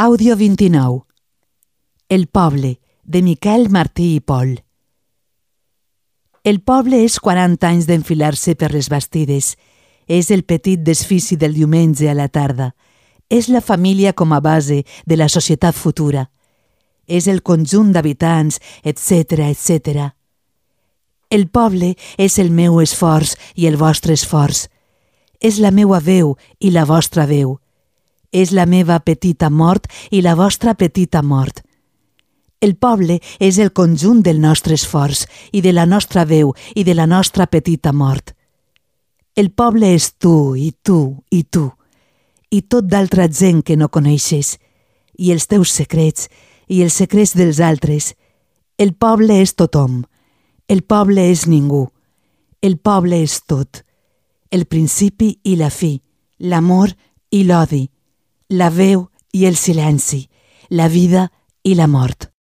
Àudio 29. El poble, de Miquel Martí i Pol. El poble és 40 anys d'enfilar-se per les bastides. És el petit desfici del diumenge a la tarda. És la família com a base de la societat futura. És el conjunt d'habitants, etc., etc. El poble és el meu esforç i el vostre esforç. És la meua veu i la vostra veu. És la meva petita mort i la vostra petita mort. El poble és el conjunt del nostre esforç i de la nostra veu i de la nostra petita mort. El poble és tu i tu i tu i tot d'altra gent que no coneixes, i els teus secrets i els secrets dels altres. El poble és tothom. El poble és ningú. El poble és tot. El principi i la fi, l'amor i l'odi, la veu i el silenci, la vida i la mort.